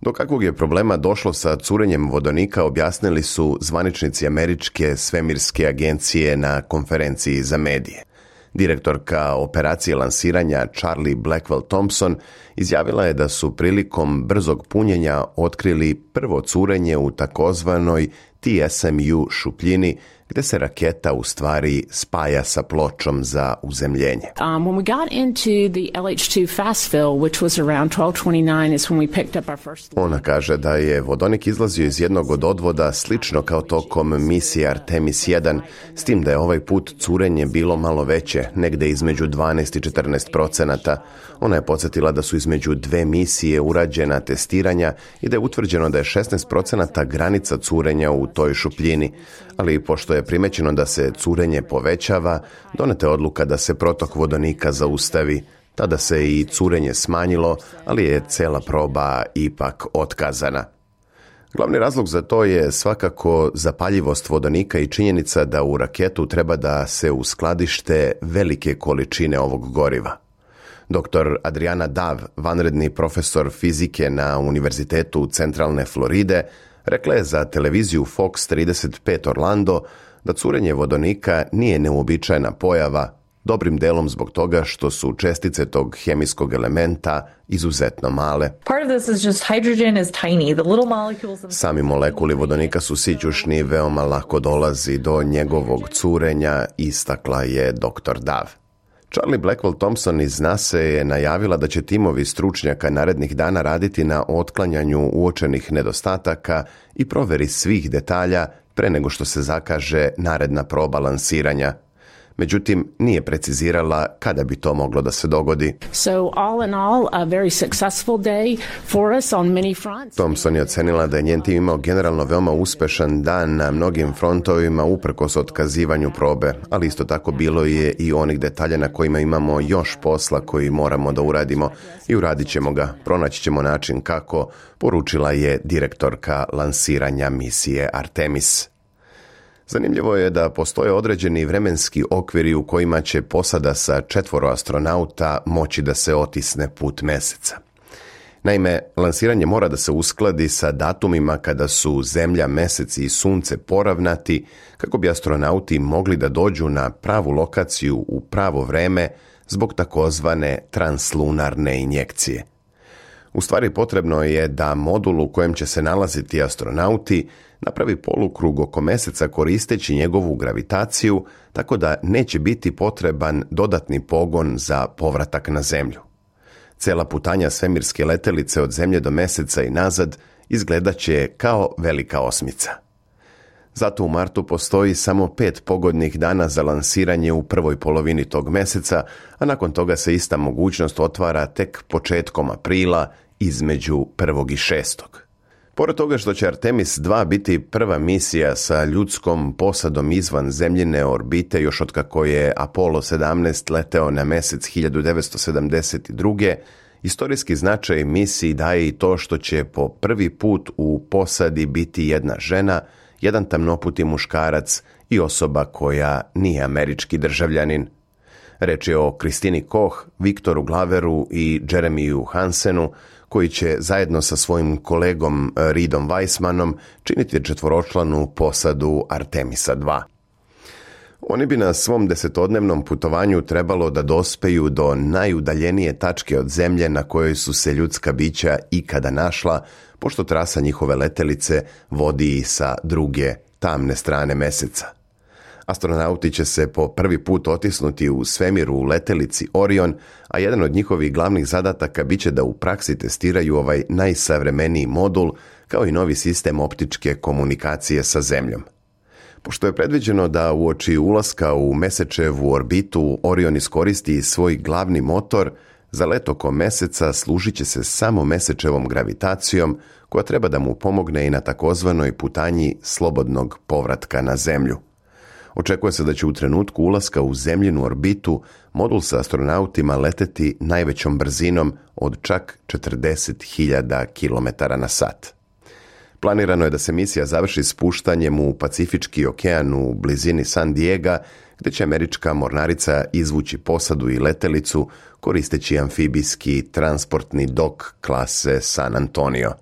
Do kakvog je problema došlo sa curenjem vodonika objasnili su zvaničnici Američke svemirske agencije na konferenciji za medije. Direktorka operacije lansiranja Charlie Blackwell Thompson izjavila je da su prilikom brzog punjenja otkrili prvo curenje u takozvanoj T S M U šupljini, gde se raketa u stvari spaja sa pločom za uzemljenje. Um, when we got into the L H two fast fill, which was around twelve twenty-nine, is when we picked up our first... Ona kaže da je vodonik izlazio iz jednog od odvoda slično kao tokom misije Artemis jedan, s tim da je ovaj put curenje bilo malo veće, negde između dvanaest i četrnaest procenata. Ona je podsjetila da su između dve misije urađena testiranja i da je utvrđeno da je šesnaest procenata granica curenja u toj šupljini, ali pošto je primećeno da se curenje povećava, doneta je odluka da se protok vodonika zaustavi. Tada se i curenje smanjilo, ali je cela proba ipak otkazana. Glavni razlog za to je svakako zapaljivost vodonika i činjenica da u raketu treba da se uskladište velike količine ovog goriva. Doktor Adriana Dav, vanredni profesor fizike na Univerzitetu Centralne Floride, rekla je za televiziju Fox trideset pet Orlando da curenje vodonika nije neuobičajena pojava, dobrim delom zbog toga što su čestice tog hemijskog elementa izuzetno male. Sami molekuli vodonika su sićušni, veoma lako dolazi do njegovog curenja, istakla je doktor Dav. Charlie Blackwell Thompson iz NASA je najavila da će timovi stručnjaka narednih dana raditi na otklanjanju uočenih nedostataka i proveri svih detalja pre nego što se zakaže naredna proba lansiranja. Međutim, nije precizirala kada bi to moglo da se dogodi. So all in all, a very successful day for us on many fronts. Thompson je ocenila da je njen tim imao generalno veoma uspešan dan na mnogim frontovima uprkos otkazivanju probe, ali isto tako bilo je i onih detalja na kojima imamo još posla koji moramo da uradimo i uradit ćemo ga, pronaći ćemo način kako, poručila je direktorka lansiranja misije Artemis. Zanimljivo je da postoje određeni vremenski okviri u kojima će posada sa četvoro astronauta moći da se otisne put meseca. Naime, lansiranje mora da se uskladi sa datumima kada su Zemlja, Mesec i Sunce poravnati kako bi astronauti mogli da dođu na pravu lokaciju u pravo vreme zbog takozvane translunarne injekcije. U stvari potrebno je da modul u kojem će se nalaziti astronauti napravi polukrug oko meseca koristeći njegovu gravitaciju, tako da neće biti potreban dodatni pogon za povratak na Zemlju. Cela putanja svemirske letelice od Zemlje do meseca i nazad izgledaće kao velika osmica. Zato u martu postoji samo pet pogodnih dana za lansiranje u prvoj polovini tog meseca, a nakon toga se ista mogućnost otvara tek početkom aprila između prvog i šestog. Pored toga što će Artemis dva biti prva misija sa ljudskom posadom izvan zemljine orbite još otkako je Apollo sedamnaest leteo na mesec hiljadu devetsto sedamdeset druge. Istorijski značaj misiji daje i to što će po prvi put u posadi biti jedna žena, jedan tamnoputi muškarac i osoba koja nije američki državljanin. Reč je o Kristini Koch, Viktoru Glaveru i Jeremiju Hansenu, koji će zajedno sa svojim kolegom Reedom Weissmanom činiti četvoročlanu posadu Artemisa dva. Oni bi na svom desetodnevnom putovanju trebalo da dospeju do najudaljenije tačke od Zemlje na kojoj su se ljudska bića ikada našla, pošto trasa njihove letelice vodi i sa druge, tamne strane meseca. Astronauti će se po prvi put otisnuti u svemiru u letelici Orion, a jedan od njihovih glavnih zadataka biće da u praksi testiraju ovaj najsavremeniji modul, kao i novi sistem optičke komunikacije sa Zemljom. Pošto je predviđeno da uoči ulaska u Mesečevu orbitu Orion iskoristi svoj glavni motor, za let oko meseca služit će se samo Mesečevom gravitacijom, koja treba da mu pomogne i na takozvanoj putanji slobodnog povratka na Zemlju. Očekuje se da će u trenutku ulaska u zemljinu orbitu modul sa astronautima leteti najvećom brzinom od čak četrdeset hiljada kilometara na sat. Planirano je da se misija završi spuštanjem u Pacifički okean u blizini San Diega, gde će američka mornarica izvući posadu i letelicu koristeći amfibijski transportni dok klase San Antonio.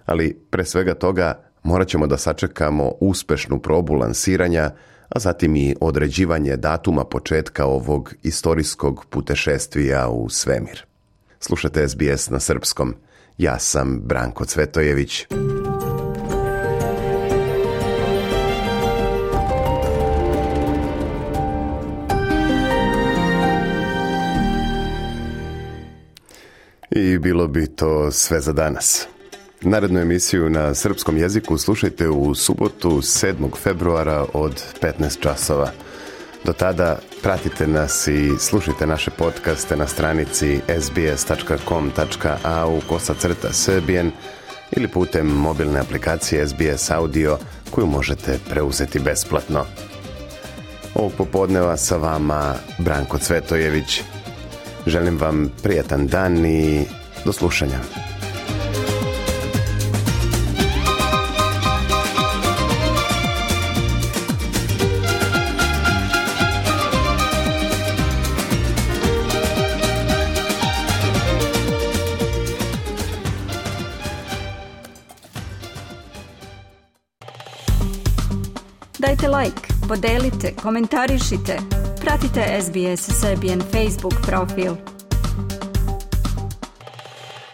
Ali pre svega toga morat ćemo da sačekamo uspešnu probu lansiranja, a zatim i određivanje datuma početka ovog istorijskog putešestvija u svemir. Slušate S B S na srpskom. Ja sam Branko Cvetojević. I bilo bi to sve za danas. Narednu emisiju na srpskom jeziku slušajte u subotu sedmog februara od petnaest časova. Do tada pratite nas i slušajte naše podcaste na stranici s b s tačka com tačka a u kosa crta srbijen ili putem mobilne aplikacije S B S Audio koju možete preuzeti besplatno. Ovog popodneva sa vama Branko Cvetojević. Želim vam prijatan dan i do slušanja. Dajte like, podelite, komentarišite. Pratite S B S Serbian Facebook profil.